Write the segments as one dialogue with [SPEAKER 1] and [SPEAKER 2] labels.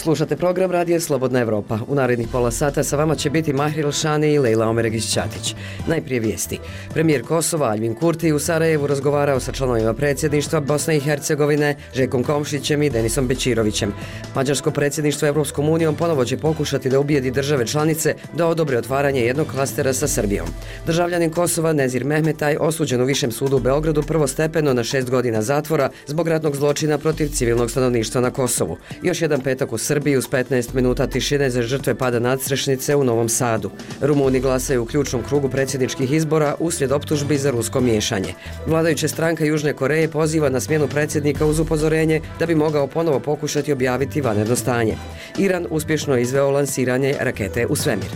[SPEAKER 1] Slušate program Radija Slobodna Evropa. U narednih pola sata sa vama će biti Mahri Elšani i Lejla Omeregić-Ćatić. Najprije vijesti. Premijer Kosova Aljbin Kurti u Sarajevu razgovarao sa članovima predsjedništva Bosne i Hercegovine, Željkom Komšićem i Denisom Bećirovićem. Mađarsko predsjedništvo Evropskom unijom ponovo će pokušati da ubijedi države članice da odobre otvaranje jednog klastera sa Srbijom. Državljanin Kosova Nezir Mehmetaj osuđen u Višem sudu u Beogradu prvostepeno na 6 godina zatvora zbog ratnog zločina protiv civilnog stanovništva na Kosovu. Još jedan petak u Srbiji uz 15 minuta tišine za žrtve pada nadstrešnice u Novom Sadu. Rumuni glasaju u ključnom krugu predsjedničkih izbora uslijed optužbi za rusko miješanje. Vladajuća stranka Južne Koreje poziva na smjenu predsjednika uz upozorenje da bi mogao ponovo pokušati objaviti vanredno stanje. Iran uspješno izveo lansiranje rakete u svemir.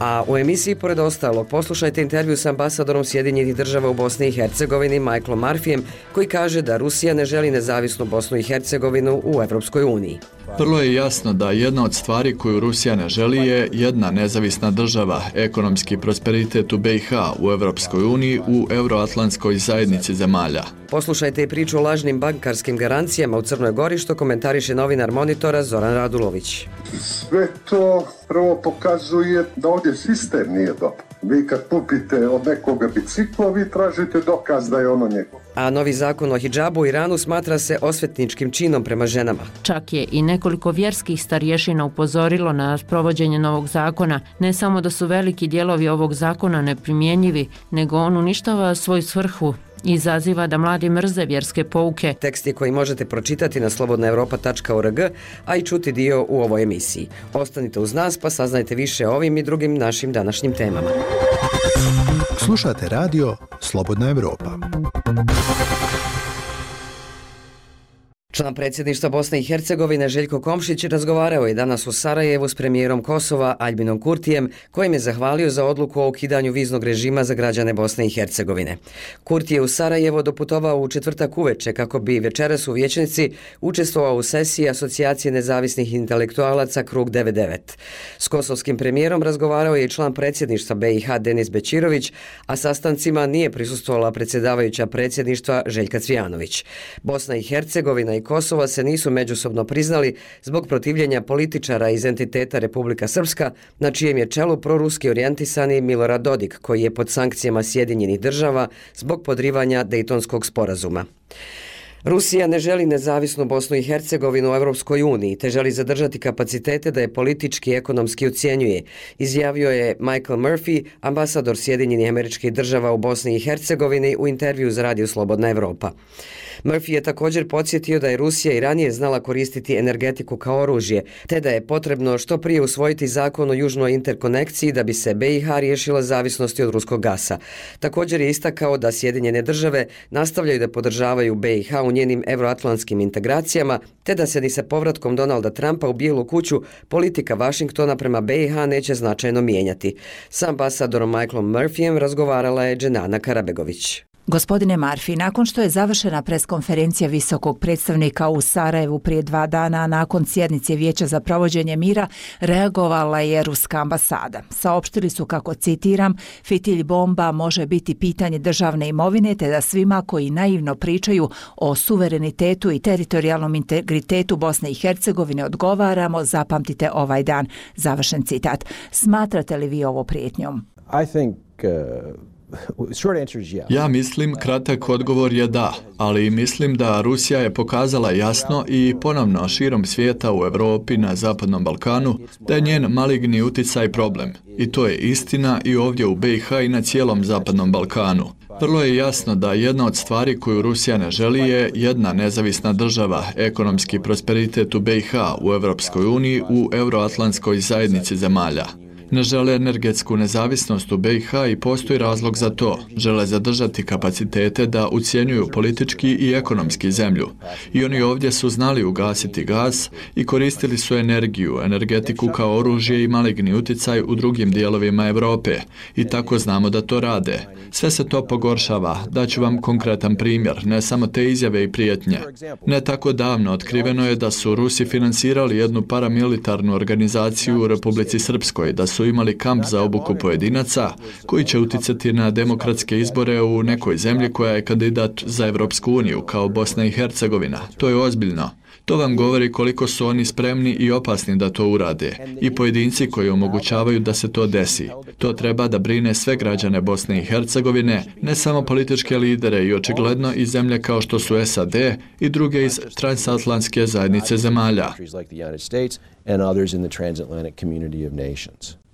[SPEAKER 1] A u emisiji, pored ostalog, poslušajte intervju s ambasadorom Sjedinjenih država u Bosni i Hercegovini Michaelom Murphyjem, koji kaže da Rusija ne želi nezavisnu Bosnu i Hercegovinu u Evropskoj uniji.
[SPEAKER 2] Vrlo je jasno da jedna od stvari koju Rusija ne želi je jedna nezavisna država, ekonomski prosperitet u BiH, u Evropskoj uniji, u Euroatlantskoj zajednici zemalja.
[SPEAKER 1] Poslušajte i priču o lažnim bankarskim garancijama u Crnoj Gori, što komentariše novinar Monitora Zoran Radulović.
[SPEAKER 3] Sve to prvo pokazuje da ovdje sistem nije dobar. Vi kad kupite od nekoga biciklo, vi tražite dokaz da je ono njegovo.
[SPEAKER 1] A novi zakon o hidžabu u Iranu smatra se osvetničkim činom prema ženama.
[SPEAKER 4] Čak je i nekoliko vjerskih starješina upozorilo na provođenje novog zakona. Ne samo da su veliki dijelovi ovog zakona neprimjenjivi, nego on uništava svoju svrhu i izaziva da mladi mrze vjerske pouke.
[SPEAKER 1] Teksti koji možete pročitati na slobodnaevropa.org, a i čuti dio u ovoj emisiji. Ostanite uz nas pa saznajte više o ovim i drugim našim današnjim temama.
[SPEAKER 5] Slušate radio Slobodna Evropa.
[SPEAKER 1] Član predsjedništva Bosne i Hercegovine Željko Komšić razgovarao je danas u Sarajevu s premijerom Kosova Aljbinom Kurtijem, kojim je zahvalio za odluku o ukidanju viznog režima za građane Bosne i Hercegovine. Kurti je u Sarajevo doputovao u četvrtak uveče kako bi večeras u vijećnici učestvovao u sesiji Asocijacije nezavisnih intelektualaca Krug 99. S kosovskim premijerom razgovarao je i član predsjedništva BiH Denis Bećirović, a sastancima nije prisustvovala predsjedavajuća predsjedništva Željka Cvijanović. Bosna i Hercegovina i Kosova se nisu međusobno priznali zbog protivljenja političara iz entiteta Republika Srpska, na čijem je čelu proruski orijentisani Milorad Dodik, koji je pod sankcijama Sjedinjenih država zbog podrivanja Dejtonskog sporazuma. Rusija ne želi nezavisnu Bosnu i Hercegovinu u Evropskoj uniji, te želi zadržati kapacitete da je politički i ekonomski ucjenjuje, izjavio je Michael Murphy, ambasador Sjedinjenih Američkih Država u Bosni i Hercegovini, u intervju za Radio Slobodna Evropa. Murphy je također podsjetio da je Rusija i ranije znala koristiti energetiku kao oružje, te da je potrebno što prije usvojiti zakon o južnoj interkonekciji da bi se BiH riješila zavisnosti od ruskog gasa. Također je istakao da Sjedinjene države nastavljaju da podržavaju BiH u njenim euroatlantskim integracijama, te da se ni sa povratkom Donalda Trumpa u Bijelu kuću politika Vašingtona prema BiH neće značajno mijenjati. S ambasadorom Michaelom Murphyjem razgovarala je Dženana Karabegović.
[SPEAKER 6] Gospodine Murphy, nakon što je završena preskonferencija visokog predstavnika u Sarajevu prije 2 dana, nakon sjednice Vijeća za provođenje mira, reagovala je ruska ambasada. Saopštili su, kako citiram, fitilj bomba može biti pitanje državne imovine, te da svima koji naivno pričaju o suverenitetu i teritorijalnom integritetu Bosne i Hercegovine odgovaramo, zapamtite ovaj dan. Završen citat. Smatrate li vi ovo prijetnjom?
[SPEAKER 2] Ja mislim, kratak odgovor je da, ali mislim da Rusija je pokazala jasno i ponovno širom svijeta u Europi, na Zapadnom Balkanu, da je njen maligni uticaj problem. I to je istina i ovdje u BiH i na cijelom Zapadnom Balkanu. Vrlo je jasno da jedna od stvari koju Rusija ne želi je jedna nezavisna država, ekonomski prosperitet u BiH, u Evropskoj uniji, u Euroatlantskoj zajednici zemalja. Ne žele energetsku nezavisnost u BiH i postoji razlog za to. Žele zadržati kapacitete da ucjenjuju politički i ekonomski zemlju. I oni ovdje su znali ugasiti gas i koristili su energiju, energetiku kao oružje i maligni uticaj u drugim dijelovima Europe. I tako znamo da to rade. Sve se to pogoršava. Daću vam konkretan primjer, ne samo te izjave i prijetnje. Ne tako davno otkriveno je da su Rusi finansirali jednu paramilitarnu organizaciju u Republici Srpskoj, da su imali kamp za obuku pojedinaca koji će uticati na demokratske izbore u nekoj zemlji koja je kandidat za Evropsku uniju, kao Bosna i Hercegovina. To je ozbiljno. To vam govori koliko su oni spremni i opasni da to urade i pojedinci koji omogućavaju da se to desi. To treba da brine sve građane Bosne i Hercegovine, ne samo političke lidere i očigledno i zemlje kao što su SAD i druge iz transatlantske zajednice zemalja.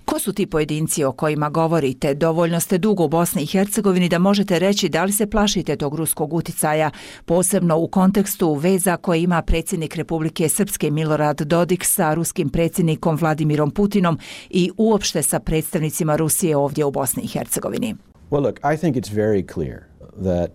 [SPEAKER 6] Ko su ti pojedinci o kojima govorite? Dovoljno ste dugo u Bosni i Hercegovini da možete reći da li se plašite tog ruskog uticaja, posebno u kontekstu veza koje ima predsjednik Republike Srpske Milorad Dodik sa ruskim predsjednikom Vladimirom Putinom i uopšte sa predstavnicima Rusije ovdje u Bosni i Hercegovini.
[SPEAKER 7] Well, look, I think it's very clear that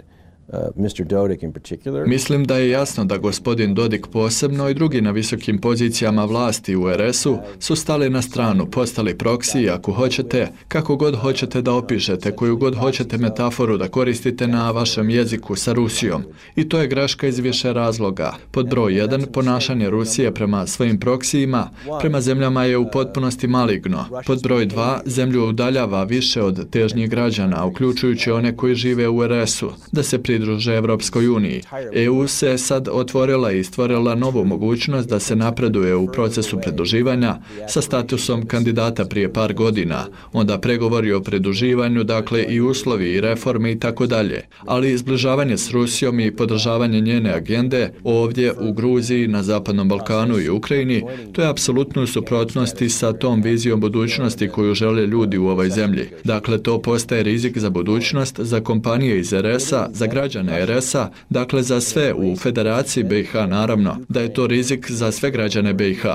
[SPEAKER 7] Mr. Dodik in particular.
[SPEAKER 2] Mislim da je jasno da gospodin Dodik posebno i drugi na visokim pozicijama vlasti u RS-u su stali na stranu, postali proksiji ako hoćete, kako god hoćete da opišete, koju god hoćete metaforu da koristite na vašem jeziku sa Rusijom. I to je greška iz više razloga. Pod broj 1, ponašanje Rusije prema svojim proksijima, prema zemljama je u potpunosti maligno. Pod broj 2, zemlju udaljava više od težnjih građana, uključujući one koji žive u RS-u, da se pridruže Evropskoj uniji. EU se sad otvorila i stvorila novu mogućnost da se napreduje u procesu pridruživanja sa statusom kandidata prije par godina, onda pregovori o pridruživanju, dakle i uslovi i reforme i tako dalje. Ali zbližavanje s Rusijom i podržavanje njene agende ovdje u Gruziji, na Zapadnom Balkanu i Ukrajini, to je apsolutno u suprotnosti sa tom vizijom budućnosti koju žele ljudi u ovoj zemlji. Dakle, to postaje rizik za budućnost, za kompanije iz RS-a, za građane RS-a, dakle za sve u Federaciji BiH naravno, da je to rizik za sve građane BiH.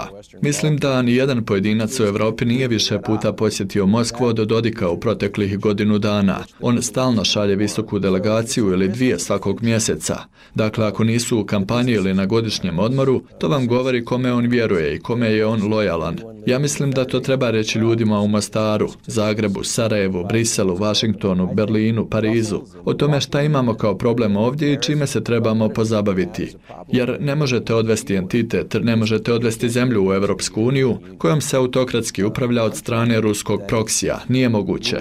[SPEAKER 2] Mislim da ni jedan pojedinac u Europi nije više puta posjetio Moskvu od Dodika u proteklih godinu dana. On stalno šalje visoku delegaciju ili 2 svakog mjeseca. Dakle, ako nisu u kampanji ili na godišnjem odmoru, to vam govori kome on vjeruje i kome je on lojalan. Ja mislim da to treba reći ljudima u Mostaru, Zagrebu, Sarajevu, Briselu, Vašingtonu, Berlinu, Parizu, o tome šta imamo kao problem ovdje i čime se trebamo pozabaviti. Jer ne možete odvesti entitet, ne možete odvesti zemlju u Evropsku uniju kojom se autokratski upravlja od strane ruskog proksija. Nije moguće.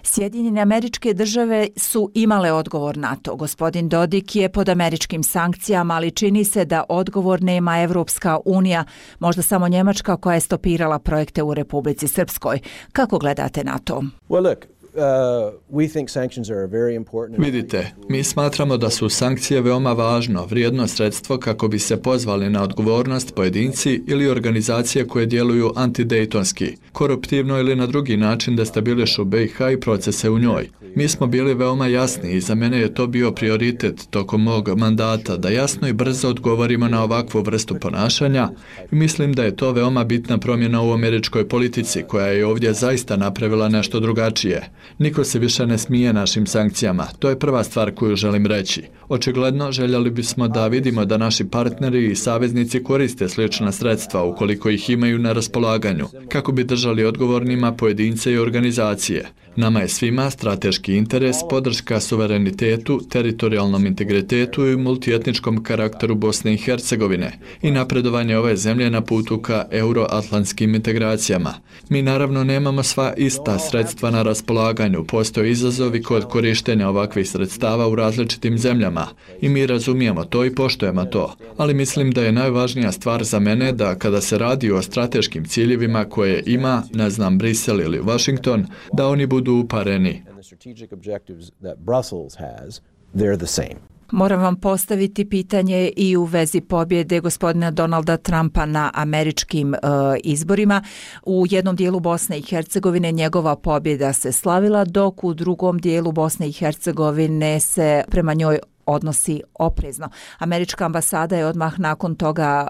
[SPEAKER 6] Sjedinjene Američke Države su imale odgovor na to. Gospodin Dodik je pod američkim sankcijama, ali čini se da odgovor nema Evropska unija, možda samo Njemačka koja je stopirala projekte u Republici Srpskoj. Kako gledate na to?
[SPEAKER 2] Vidite, mi smatramo da su sankcije veoma važno, vrijedno sredstvo kako bi se pozvali na odgovornost pojedinci ili organizacije koje djeluju antidejtonski, koruptivno ili na drugi način destabilišu BiH i procese u njoj. Mi smo bili veoma jasni i za mene je to bio prioritet tokom mog mandata da jasno i brzo odgovorimo na ovakvu vrstu ponašanja i mislim da je to veoma bitna promjena u američkoj politici koja je ovdje zaista napravila nešto drugačije. Niko se više ne smije našim sankcijama. To je prva stvar koju želim reći. Očigledno željeli bismo da vidimo da naši partneri i saveznici koriste slična sredstva ukoliko ih imaju na raspolaganju, kako bi držali odgovornima pojedince i organizacije. Nama je svima strateški interes, podrška suverenitetu, teritorijalnom integritetu i multietničkom karakteru Bosne i Hercegovine i napredovanje ove zemlje na putu ka euroatlantskim integracijama. Mi naravno nemamo sva ista sredstva na raspolaganju, postoje izazovi kod korištenja ovakvih sredstava u različitim zemljama i mi razumijemo to i poštujemo to, ali mislim da je najvažnija stvar za mene da kada se radi o strateškim ciljevima koje ima, ne znam, Brisel ili Washington, da oni budu upareni.
[SPEAKER 6] Moram vam postaviti pitanje i u vezi pobjede gospodina Donalda Trumpa na američkim izborima. U jednom dijelu Bosne i Hercegovine njegova pobjeda se slavila, dok u drugom dijelu Bosne i Hercegovine se prema njoj odnosi oprezno. Američka ambasada je odmah nakon toga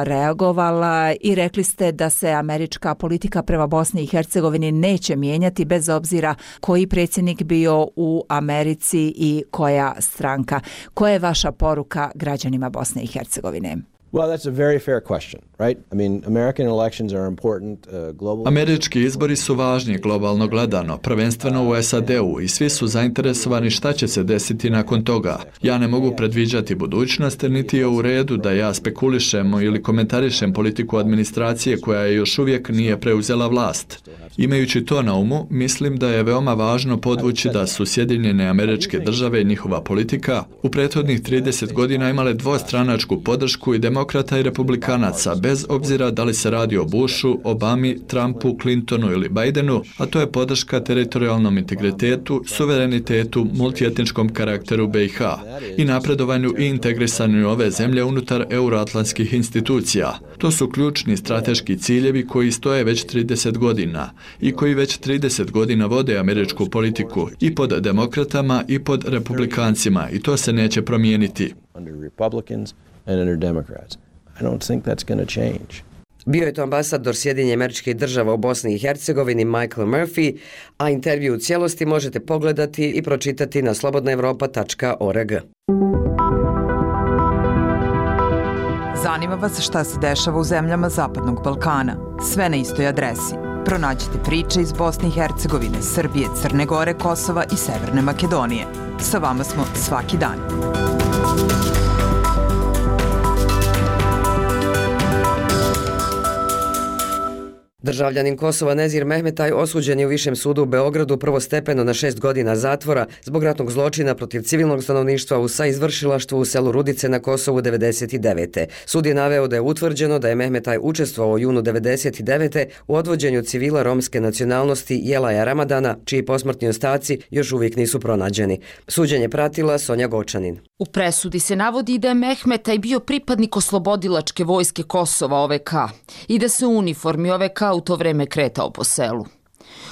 [SPEAKER 6] reagovala i rekli ste da se američka politika prema Bosni i Hercegovini neće mijenjati bez obzira koji predsjednik bio u Americi i koja stranka. Koja je vaša poruka građanima Bosne i Hercegovine?
[SPEAKER 7] Well, that's a very fair question, right? I mean, American elections are important globally.
[SPEAKER 2] Američki izbori su važni globalno gledano, prvenstveno u SAD-u i svi su zainteresovani šta će se desiti nakon toga. Ja ne mogu predviđati budućnost, niti je u redu da ja spekulišem ili komentarišem politiku administracije koja još uvijek nije preuzela vlast. Imajući to na umu, mislim da je veoma važno podvući da su Sjedinjene Američke Države i njihova politika u prethodnih 30 godina imale dvostranačku podršku i demokrata i republikanaca, bez obzira da li se radi o Bushu, Obami, Trumpu, Clintonu ili Bidenu, a to je podrška teritorijalnom integritetu, suverenitetu, multietničkom karakteru BiH i napredovanju i integrisanju ove zemlje unutar euroatlantskih institucija. To su ključni strateški ciljevi koji stoje već 30 godina i koji već 30 godina vode američku politiku i pod demokratama i pod republikancima i to se neće promijeniti.
[SPEAKER 1] Bio je to ambasador Sjedinjenih Američkih Država u Bosni i Hercegovini Michael Murphy, a intervju u cijelosti možete pogledati i pročitati na slobodnaevropa.org.
[SPEAKER 8] Zanima vas šta se dešava u zemljama Zapadnog Balkana? Sve na istoj adresi. Pronađite priče iz Bosne i Hercegovine, Srbije, Crne Gore, Kosova i Severne Makedonije. Sa vama smo svaki dan.
[SPEAKER 1] Državljanin Kosova Nezir Mehmetaj osuđen je u Višem sudu u Beogradu prvostepeno na 6 godina zatvora zbog ratnog zločina protiv civilnog stanovništva u saizvršilaštvu u selu Rudice na Kosovu 99. Sud je naveo da je utvrđeno da je Mehmetaj učestvovao u junu 99. u odvođenju civila romske nacionalnosti Jelaja Ramadana, čiji posmrtni ostaci još uvijek nisu pronađeni. Suđenje pratila Sonja Gočanin.
[SPEAKER 9] U presudi se navodi da je Mehmetaj bio pripadnik oslobodilačke vojske Kosova OVK i da se u uniformi OVK u to vreme kretao po selu.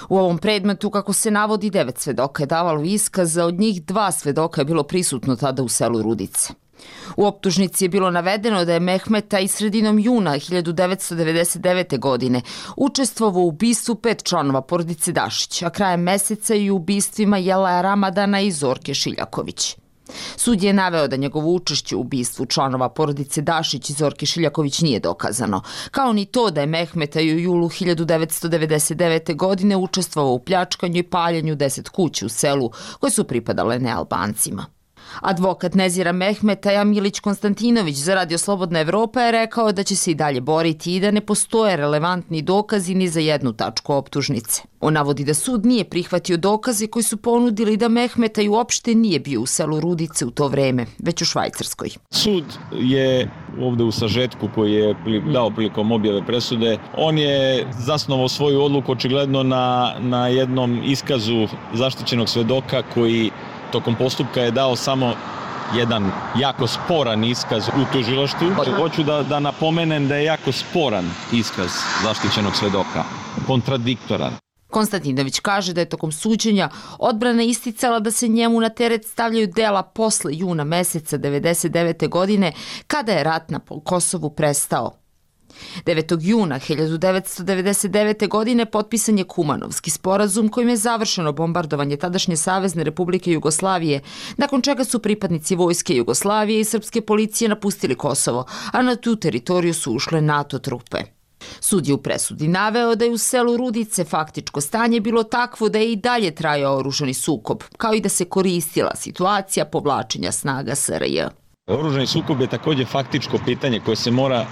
[SPEAKER 9] U ovom predmetu, kako se navodi, 9 svedoka je davalo iskaza, od njih 2 svedoka je bilo prisutno tada u selu Rudice. U optužnici je bilo navedeno da je Mehmetaj sredinom juna 1999. godine učestvovao u ubistvu 5 članova porodice Dašić, a krajem meseca i u ubistvima Jelaja Ramadana i Zorke Šiljaković. Sud je naveo da njegovo učešće u ubistvu članova porodice Dašić i Zorke Šiljaković nije dokazano, kao ni to da je Mehmetaj u julu 1999. godine učestvovao u pljačkanju i paljenju 10 kuća u selu koje su pripadale nealbancima. Advokat Nezira Mehmetaja Milić Konstantinović za Radio Slobodna Evropa je rekao da će se i dalje boriti i da ne postoje relevantni dokazi ni za jednu tačku optužnice. On navodi da sud nije prihvatio dokaze koji su ponudili da Mehmetaj uopšte nije bio u selu Rudice u to vreme, već u Švajcarskoj.
[SPEAKER 10] Sud je ovde u sažetku koji je dao prilikom objave presude, on je zasnovao svoju odluku očigledno na jednom iskazu zaštićenog svedoka koji tokom postupka je dao samo jedan jako sporan iskaz u tužilaštvu. Hoću da napomenem da je jako sporan iskaz zaštićenog svedoka, kontradiktoran.
[SPEAKER 9] Konstantinović kaže da je tokom suđenja odbrana isticala da se njemu na teret stavljaju dela posle juna meseca 1999. godine, kada je rat na Kosovu prestao. 9. juna 1999. godine potpisan je Kumanovski sporazum kojim je završeno bombardovanje tadašnje Savezne Republike Jugoslavije, nakon čega su pripadnici vojske Jugoslavije i srpske policije napustili Kosovo, a na tu teritoriju su ušle NATO trupe. Sud je u presudi naveo da je u selu Rudice faktičko stanje bilo takvo da je i dalje trajao oružani sukob, kao i da se koristila situacija povlačenja snaga SRJ.
[SPEAKER 10] Oružani sukob je također faktičko pitanje koje se mora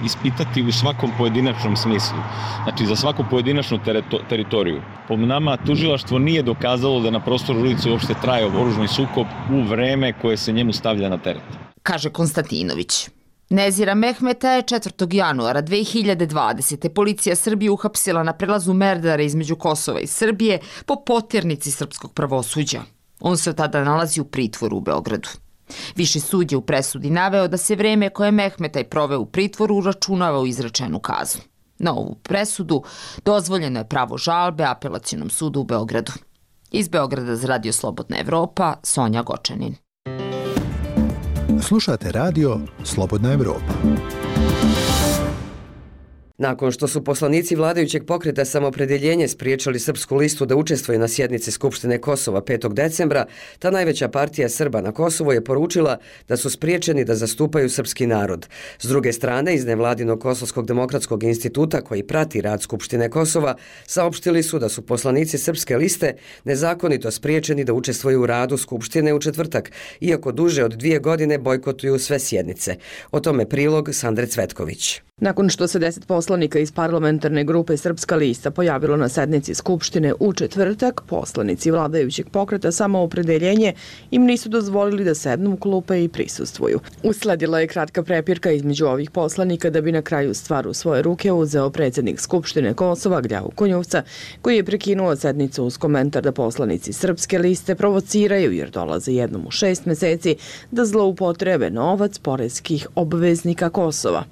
[SPEAKER 10] ispitati u svakom pojedinačnom smislu. Znači, za svaku pojedinačnu teritoriju. Po nama, tužilaštvo nije dokazalo da na prostoru Rudice uopšte traje oružani sukob u vreme koje se njemu stavlja na teret.
[SPEAKER 9] Kaže Konstantinović. Nezira Mehmeta je 4. januara 2020. policija Srbije uhapsila na prelazu Merdare između Kosova i Srbije po poternici srpskog pravosuđa. On se od tada nalazi u pritvoru u Beogradu. Viši sud je u presudi naveo da se vreme koje Mehmetaj proveo u pritvoru uračunava u izrečenu kaznu. Na ovu presudu dozvoljeno je pravo žalbe Apelacionom sudu u Beogradu. Iz Beograda za Radio Slobodna Evropa, Sonja Gočanin.
[SPEAKER 5] Slušate radio Slobodna Evropa.
[SPEAKER 1] Nakon što su poslanici vladajućeg pokreta Samoopredjeljenje spriječili Srpsku listu da učestvuje na sjednici Skupštine Kosova 5. decembra, ta najveća partija Srba na Kosovu je poručila da su spriječeni da zastupaju srpski narod. S druge strane, iz nevladinog Kosovskog demokratskog instituta koji prati rad Skupštine Kosova, saopštili su da su poslanici Srpske liste nezakonito spriječeni da učestvuju u radu Skupštine u četvrtak, iako duže od 2 godine bojkotuju sve sjednice. O tome prilog Sandre Cvetković.
[SPEAKER 11] Nakon što se 10 poslanika iz parlamentarne grupe Srpska lista pojavilo na sednici Skupštine u četvrtak, poslanici vladajućeg pokreta Samoopredjeljenje im nisu dozvolili da sednu u klupe i prisustvuju. Usledila je kratka prepirka između ovih poslanika da bi na kraju stvar u svoje ruke uzeo predsjednik Skupštine Kosova Gljavu Konjuvca, koji je prekinuo sednicu uz komentar da poslanici Srpske liste provociraju jer dolaze jednom u 6 meseci da zloupotrebe novac poreskih obveznika Kosova.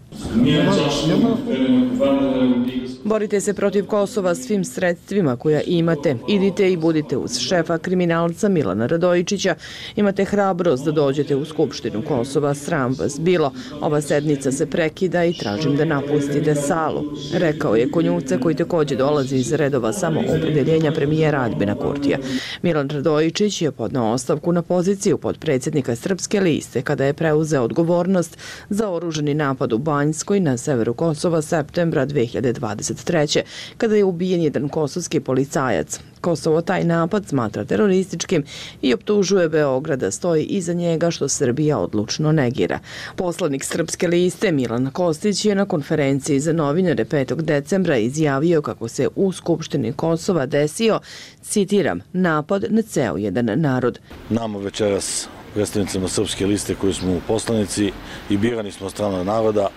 [SPEAKER 11] Borite se protiv Kosova svim sredstvima koja imate. Idite i budite uz šefa kriminalca Milana Radojičića. Imate hrabrost da dođete u Skupštinu Kosova. Sram vas bilo. Ova sednica se prekida i tražim da napustite salu, rekao je Konjuvca, koji također dolazi iz redova Samoopredjeljenja premijera Aljbina Kurtija. Milan Radojičić je podneo ostavku na poziciju podpredsjednika Srpske liste kada je preuzeo odgovornost za oružani napad u Banjskoj na severu Kosova septembra 2023. kada je ubijen jedan kosovski policajac. Kosovo taj napad smatra terorističkim i optužuje Beograd da stoji iza njega, što Srbija odlučno negira. Poslanik Srpske liste Milan Kostić je na konferenciji za novinare 5. decembra izjavio kako se u Skupštini Kosova desio, citiram, napad na ceo jedan narod.
[SPEAKER 12] Nama večeras, predstavnicima Srpske liste koji smo poslanici i birani smo od strane naroda,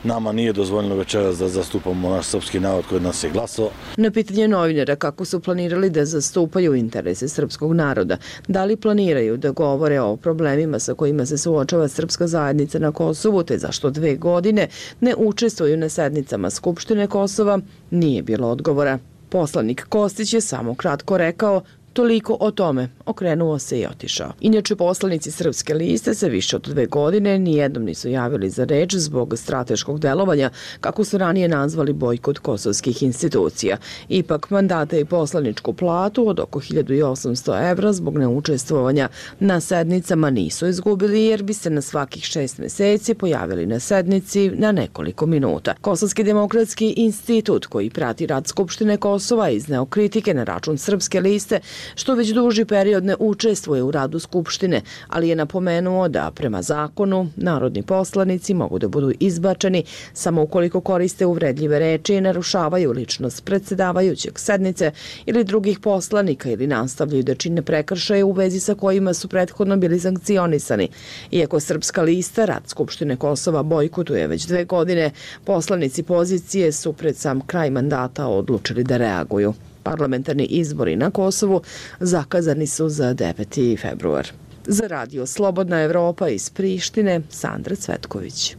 [SPEAKER 12] nama nije dozvoljeno večeras da zastupamo naš srpski narod koji nas je glasao.
[SPEAKER 11] Na pitanje novinara kako su planirali da zastupaju interese srpskog naroda, da li planiraju da govore o problemima sa kojima se suočava srpska zajednica na Kosovu, te zašto 2 godine ne učestvuju na sednicama Skupštine Kosova, nije bilo odgovora. Poslanik Kostić je samo kratko rekao: toliko o tome, okrenuo se i otišao. Inače, poslanici Srpske liste se više od 2 godine nijednom nisu javili za reč zbog strateškog delovanja, kako su ranije nazvali bojkot kosovskih institucija. Ipak, mandate i poslaničku platu od oko 1800 evra zbog neučestvovanja na sednicama nisu izgubili, jer bi se na svakih 6 meseci pojavili na sednici na nekoliko minuta. Kosovski demokratski institut, koji prati rad Skupštine Kosova, izneo kritike na račun Srpske liste, što već duži period ne učestvuje u radu Skupštine, ali je napomenuo da prema zakonu narodni poslanici mogu da budu izbačeni samo ukoliko koriste uvredljive reči i narušavaju ličnost predsjedavajućeg sednice ili drugih poslanika ili nastavljaju da čine prekršaje u vezi sa kojima su prethodno bili sankcionisani. Iako Srpska lista rad Skupštine Kosova bojkotuje već 2 godine, poslanici pozicije su pred sam kraj mandata odlučili da reaguju. Parlamentarni izbori na Kosovu zakazani su za 9. februar. Za radio Slobodna Evropa iz Prištine, Sandra Cvetković.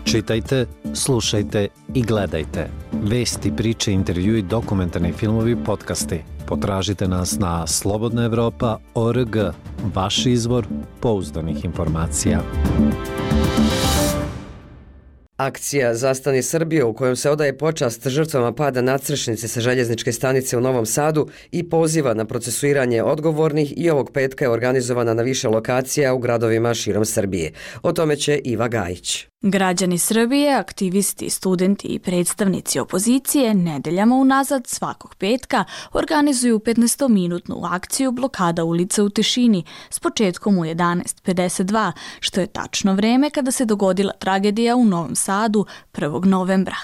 [SPEAKER 13] Čitajte, slušajte i gledajte. Vesti, priče, intervjui, dokumentarni filmovi, podcasti. Potražite nas na slobodnaevropa.org, vaš izvor pouzdanih informacija.
[SPEAKER 1] Akcija Zastani Srbije, u kojom se odaje počast žrtvama pada nadstrešnice sa željezničke stanice u Novom Sadu i poziva na procesuiranje odgovornih, i ovog petka je organizovana na više lokacija u gradovima širom Srbije. O tome će Iva Gajić.
[SPEAKER 14] Građani Srbije, aktivisti, studenti i predstavnici opozicije nedeljama unazad svakog petka organizuju 15-minutnu akciju blokada ulica u tišini s početkom u 11:52, što je tačno vreme kada se dogodila tragedija u Novom Sadu 1. novembra.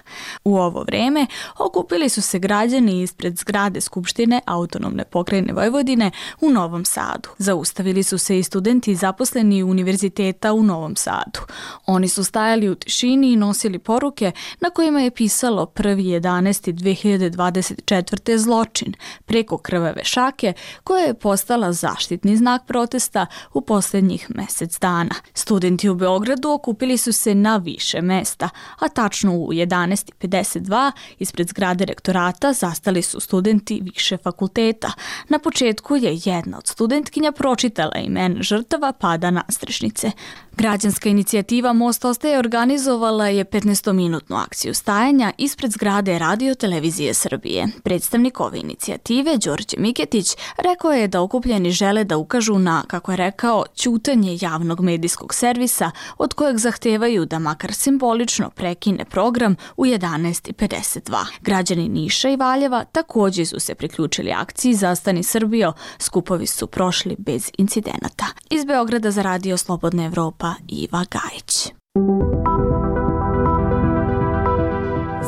[SPEAKER 14] U ovo vreme okupili su se građani ispred zgrade Skupštine Autonomne pokrajine Vojvodine u Novom Sadu. Zaustavili su se i studenti zaposleni Univerziteta u Novom Sadu. Oni su stajali u tišini i nosili poruke na kojima je pisalo 1.11.2024. zločin preko krvave šake, koja je postala zaštitni znak protesta u posljednjih mjesec dana. Studenti u Beogradu okupili su se na više mesta, a tačno u 11:52 ispred zgrade rektorata zastali su studenti više fakulteta. Na početku je jedna od studentkinja pročitala imena žrtava pada nadstrešnice. Građanska inicijativa Most ostaje organizovala je 15-minutnu akciju stajanja ispred zgrade Radio Televizije Srbije. Predstavnik ove inicijative, Đorđe Miketić, rekao je da okupljeni žele da ukažu na, kako je rekao, ćutanje javnog medijskog servisa od kojeg zahtevaju da makar simbolično prekine program u 11:52. Građani Niša i Valjeva također su se priključili akciji Zastani Srbijo. Skupovi su prošli bez incidenata. Iz Beograda za Radio Slobodna Evropa, Iva Gajić.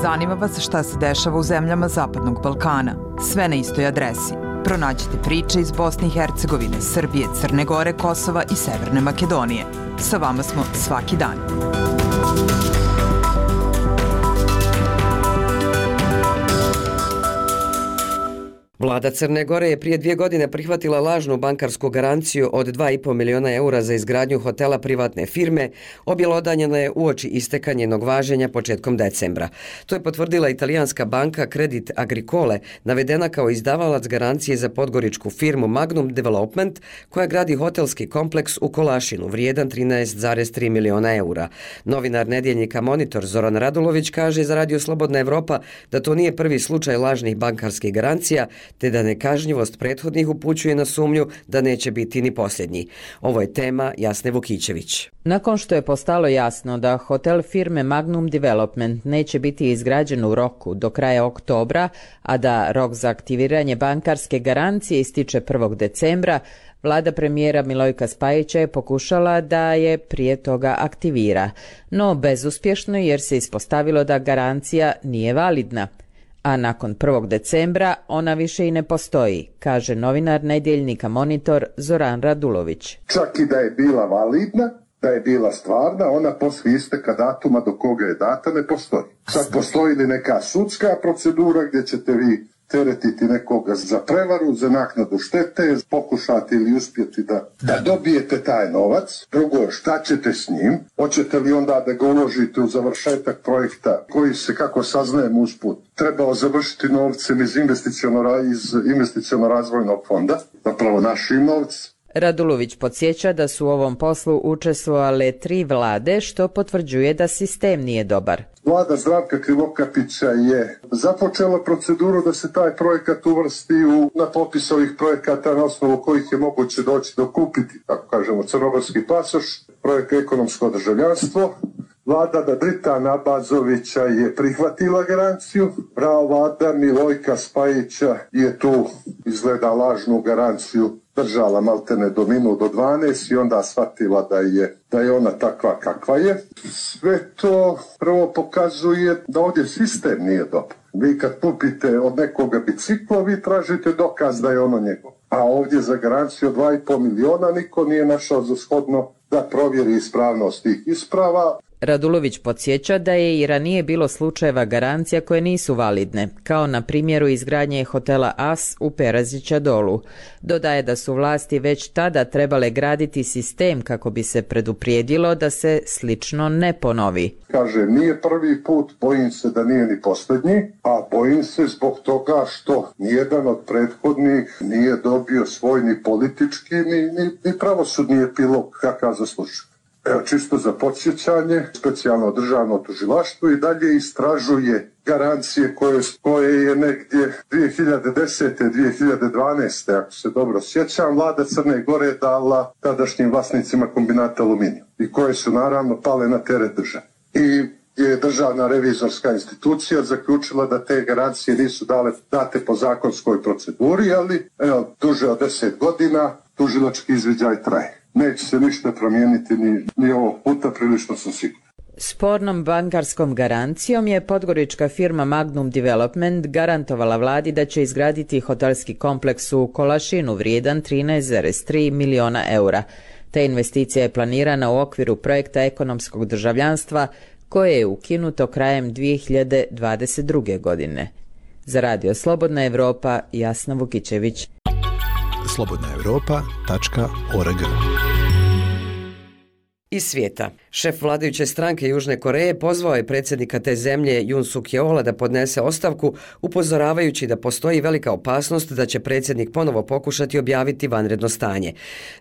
[SPEAKER 8] Zanima vas šta se dešava u zemljama Zapadnog Balkana. Sve na istoj adresi. Pronađite priče iz Bosne i Hercegovine, Srbije, Crne Gore, Kosova i Severne Makedonije. Sa vama smo svaki dan.
[SPEAKER 1] Vlada Crne Gore je prije 2 godine prihvatila lažnu bankarsku garanciju od 2,5 miliona eura za izgradnju hotela privatne firme, objelodanjena je uoči isteka njenog važenja početkom decembra. To je potvrdila italijanska banka Credit Agricole, navedena kao izdavalac garancije za podgoričku firmu Magnum Development, koja gradi hotelski kompleks u Kolašinu, vrijedan 13,3 miliona eura. Novinar nedjeljnika Monitor Zoran Radulović kaže za Radio Slobodna Evropa da to nije prvi slučaj lažnih bankarskih garancija, te da nekažnjivost prethodnih upućuje na sumnju da neće biti ni posljednji. Ovo je tema Jasne Vukićević.
[SPEAKER 15] Nakon što je postalo jasno da hotel firme Magnum Development neće biti izgrađen u roku do kraja oktobra, a da rok za aktiviranje bankarske garancije ističe 1. decembra, vlada premijera Milojka Spajića je pokušala da je prije toga aktivira, no bezuspješno jer se ispostavilo da garancija nije validna. A nakon 1. decembra ona više i ne postoji, kaže novinar nedjeljnika Monitor Zoran Radulović.
[SPEAKER 3] Čak i da je bila validna, da je bila stvarna, ona poslije isteka datuma do koga je data ne postoji. Sad postoji li neka sudska procedura gdje ćete vi teretiti nekoga za prevaru, za naknadu štete, pokušati ili uspjeti da dobijete taj novac. Drugo je šta ćete s njim, hoćete li onda da ga uložite u završetak projekta koji se, kako saznajem usput, trebao završiti novcem iz investiciono-razvojnog fonda, zapravo našim novcem.
[SPEAKER 15] Radulović podsjeća da su u ovom poslu učestvovale 3 vlade, što potvrđuje da sistem nije dobar.
[SPEAKER 3] Vlada Zdravka Krivokapića je započela proceduru da se taj projekat uvrsti na popis ovih projekata na osnovu kojih je moguće doći do kupiti, tako kažemo, crnogorski pasoš, projekt ekonomsko državljanstvo. Vlada Dritana Abazovića je prihvatila garanciju, prava vlada Milojka Spajića je tu izgleda lažnu garanciju držala maltene do minut do 12 i onda shvatila da je ona takva kakva je. Sve to prvo pokazuje da ovdje sistem nije dobar. Vi kad kupite od nekoga biciklo, vi tražite dokaz da je ono njegov. A ovdje za garanciju od 2,5 miliona niko nije našao za shodno da provjeri ispravnost tih isprava.
[SPEAKER 15] Radulović podsjeća da je i ranije bilo slučajeva garancija koje nisu validne, kao na primjeru izgradnje hotela As u Perazića Dolu. Dodaje da su vlasti već tada trebale graditi sistem kako bi se preduprijedilo da se slično ne ponovi.
[SPEAKER 3] Kaže, nije prvi put, bojim se da nije ni posljednji, a bojim se zbog toga što nijedan od prethodnih nije dobio svoj ni politički, ni pravosudni epilog kakav zaslužuje. Evo, čisto za podsjećanje, specijalno državno tužilaštvo i dalje istražuje garancije koje je negdje 2010. 2012. ako se dobro sjećam, vlada Crne Gore dala tadašnjim vlasnicima kombinata Aluminijum i koje su naravno pale na teret države. I je državna revizorska institucija zaključila da te garancije nisu date po zakonskoj proceduri, ali evo, duže od 10 godina tužilački izviđaj traje. Neće se ništa promijeniti ni ovog puta, prilično sam siguran.
[SPEAKER 15] Spornom bankarskom garancijom je podgorička firma Magnum Development garantovala vladi da će izgraditi hotelski kompleks u Kolašinu vrijedan 13,3 miliona eura. Ta investicija je planirana u okviru projekta ekonomskog državljanstva koje je ukinuto krajem 2022. godine. Za Radio Slobodna Evropa, Jasna Vukićević.
[SPEAKER 5] slobodnaevropa.org
[SPEAKER 1] Iz svijeta. Šef vladajuće stranke Južne Koreje pozvao je predsjednika te zemlje Yoon Suk Yeola da podnese ostavku, upozoravajući da postoji velika opasnost da će predsjednik ponovo pokušati objaviti vanredno stanje.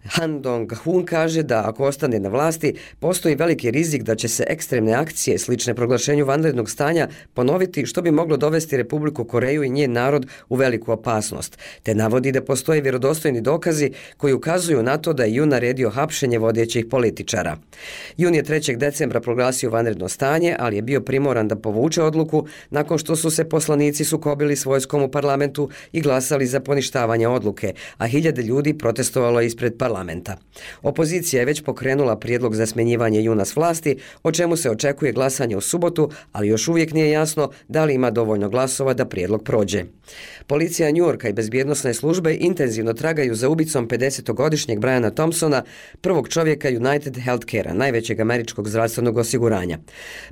[SPEAKER 1] Han Dong-hun kaže da ako ostane na vlasti, postoji veliki rizik da će se ekstremne akcije slične proglašenju vanrednog stanja ponoviti, što bi moglo dovesti Republiku Koreju i njen narod u veliku opasnost, te navodi da postoje vjerodostojni dokazi koji ukazuju na to da je Yoon naredio hapšenje vodećih političara. Yoon je 3. decembra proglasio vanredno stanje, ali je bio primoran da povuče odluku nakon što su se poslanici sukobili s vojskom u parlamentu i glasali za poništavanje odluke, a hiljade ljudi protestovalo ispred parlamenta. Opozicija je već pokrenula prijedlog za smjenjivanje Yoona s vlasti, o čemu se očekuje glasanje u subotu, ali još uvijek nije jasno da li ima dovoljno glasova da prijedlog prođe. Policija New Yorka i bezbjednosne službe intenzivno tragaju za ubicom 50-godišnjeg Briana Thompsona, prvog čovjeka United Healthcare-a, najvećeg američkog zdravstvenog osiguranja.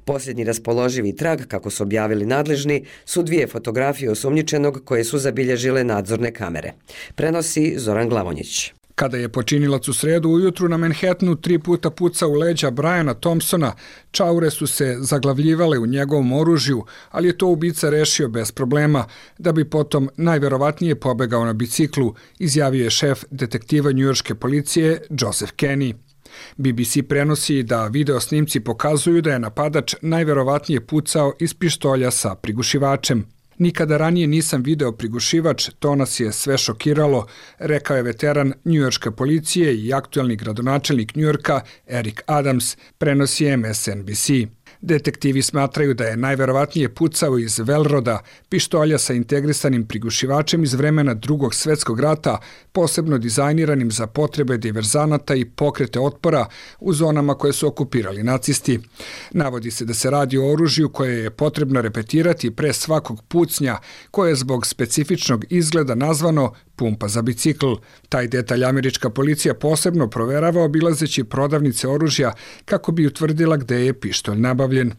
[SPEAKER 1] Posljednji raspoloživi trag, kako su objavili nadležni, su 2 fotografije osumnjičenog koje su zabilježile nadzorne kamere. Prenosi Zoran Glavonjić.
[SPEAKER 16] Kada je počinilac u sredu ujutru na Manhattanu 3 puta pucao u leđa Briana Thompsona, čaure su se zaglavljivale u njegovom oružju, ali je to ubica rešio bez problema, da bi potom najverovatnije pobegao na biciklu, izjavio je šef detektiva njujorške policije Joseph Kenney. BBC prenosi da video snimci pokazuju da je napadač najverovatnije pucao iz pištolja sa prigušivačem. Nikada ranije nisam video prigušivač, to nas je sve šokiralo, rekao je veteran njujorške policije i aktuelni gradonačelnik Njujorka Eric Adams, prenosi MSNBC. Detektivi smatraju da je najverovatnije pucao iz Velroda, pištolja sa integrisanim prigušivačem iz vremena Drugog svjetskog rata, posebno dizajniranim za potrebe diverzanata i pokrete otpora u zonama koje su okupirali nacisti. Navodi se da se radi o oružju koje je potrebno repetirati pre svakog pucnja, koje je zbog specifičnog izgleda nazvano pumpa za bicikl. Taj detalj američka policija posebno proverava obilazeći prodavnice oružja kako bi utvrdila gde je pištolj nabavljen.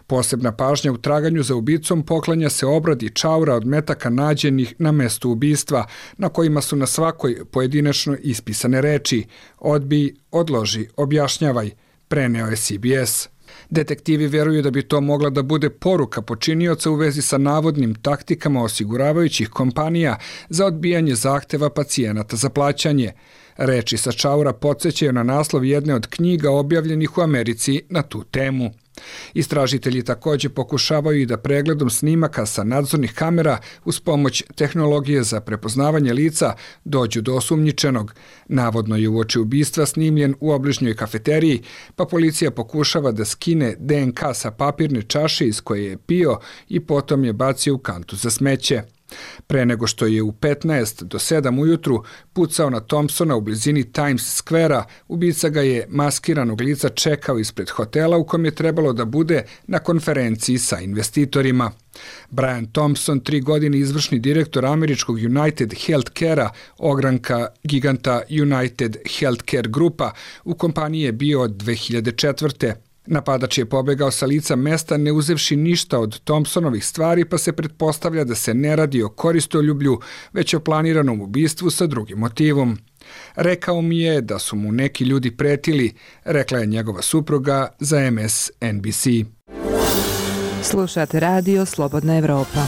[SPEAKER 16] Posebna pažnja u traganju za ubicom poklanja se obradi čaura od metaka nađenih na mestu ubistva, na kojima su na svakoj pojedinačno ispisane reči: odbij, odloži, objašnjavaj, preneo je CBS. Detektivi veruju da bi to mogla da bude poruka počinioca u vezi sa navodnim taktikama osiguravajućih kompanija za odbijanje zahteva pacijenata za plaćanje. Reči sa čaura podsjećaju na naslov jedne od knjiga objavljenih u Americi na tu temu. Istražitelji također pokušavaju i da pregledom snimaka sa nadzornih kamera uz pomoć tehnologije za prepoznavanje lica dođu do osumnjičenog. Navodno je uoči ubistva snimljen u obližnjoj kafeteriji, pa policija pokušava da skine DNK sa papirne čaše iz koje je pio i potom je bacio u kantu za smeće. Pre nego što je u 15 do 7 ujutru pucao na Thompsona u blizini Times Square-a, ubica ga je maskiranog lica čekao ispred hotela u kom je trebalo da bude na konferenciji sa investitorima. Brian Thompson, 3 godine izvršni direktor američkog United Healthcare-a, ogranka giganta United Healthcare Grupa, u kompaniji je bio od 2004. Napadač je pobegao sa lica mesta ne uzevši ništa od Thompsonovih stvari, pa se pretpostavlja da se ne radi o koristoljublju, već o planiranom ubistvu sa drugim motivom. Rekao mi je da su mu neki ljudi pretili, rekla je njegova supruga za MSNBC.
[SPEAKER 8] Slušate radio Slobodna Evropa.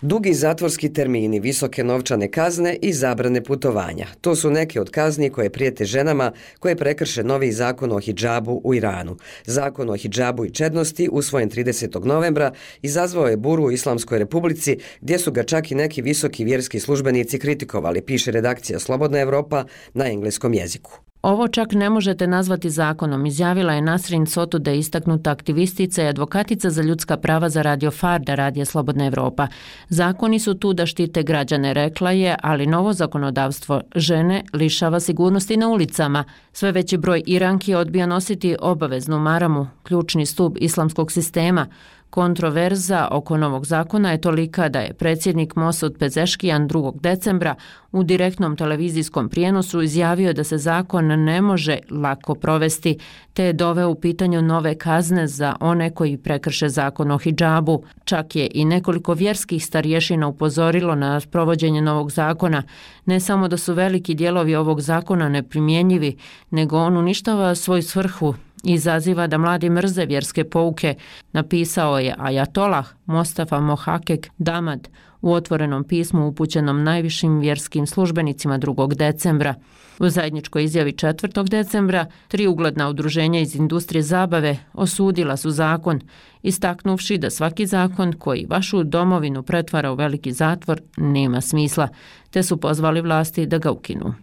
[SPEAKER 1] Dugi zatvorski termini, visoke novčane kazne i zabrane putovanja. To su neke od kazni koje prijete ženama koje prekrše novi zakon o hidžabu u Iranu. Zakon o hidžabu i čednosti, usvojen 30. novembra, izazvao je buru u Islamskoj republici, gdje su ga čak i neki visoki vjerski službenici kritikovali, piše redakcija Slobodna Evropa na engleskom jeziku.
[SPEAKER 4] Ovo čak ne možete nazvati zakonom, izjavila je Nasrin Sotude, istaknuta aktivistica i advokatica za ljudska prava za Radio Farda, Radija Slobodna Evropa. Zakoni su tu da štite građane, rekla je, ali novo zakonodavstvo žene lišava sigurnosti na ulicama. Sve veći broj Iranki odbija nositi obaveznu maramu, ključni stup islamskog sistema. Kontroverza oko novog zakona je tolika da je predsjednik Mosud Pezeškijan 2. decembra u direktnom televizijskom prijenosu izjavio da se zakon ne može lako provesti, te je doveo u pitanju nove kazne za one koji prekrše zakon o hidžabu. Čak je i nekoliko vjerskih starješina upozorilo na provođenje novog zakona. Ne samo da su veliki dijelovi ovog zakona neprimjenjivi, nego on uništava svoju svrhu i izaziva da mladi mrze vjerske pouke, napisao je ajatolah Mostafa Mohakek Damad u otvorenom pismu upućenom najvišim vjerskim službenicima 2. decembra. U zajedničkoj izjavi 4. decembra 3 ugledna udruženja iz industrije zabave osudila su zakon, istaknuvši da svaki zakon koji vašu domovinu pretvara u veliki zatvor nema smisla, te su pozvali vlasti da ga ukinu.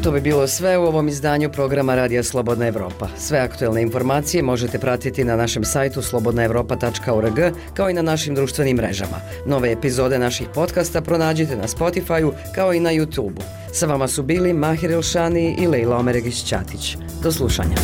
[SPEAKER 1] To bi bilo sve u ovom izdanju programa Radija Slobodna Evropa. Sve aktuelne informacije možete pratiti na našem sajtu slobodnaevropa.org kao i na našim društvenim mrežama. Nove epizode naših podcasta pronađite na Spotify-u kao i na YouTube-u. Sa vama su bili Mahir Elšani i Lejla Omeregić-Ćatić. Do slušanja.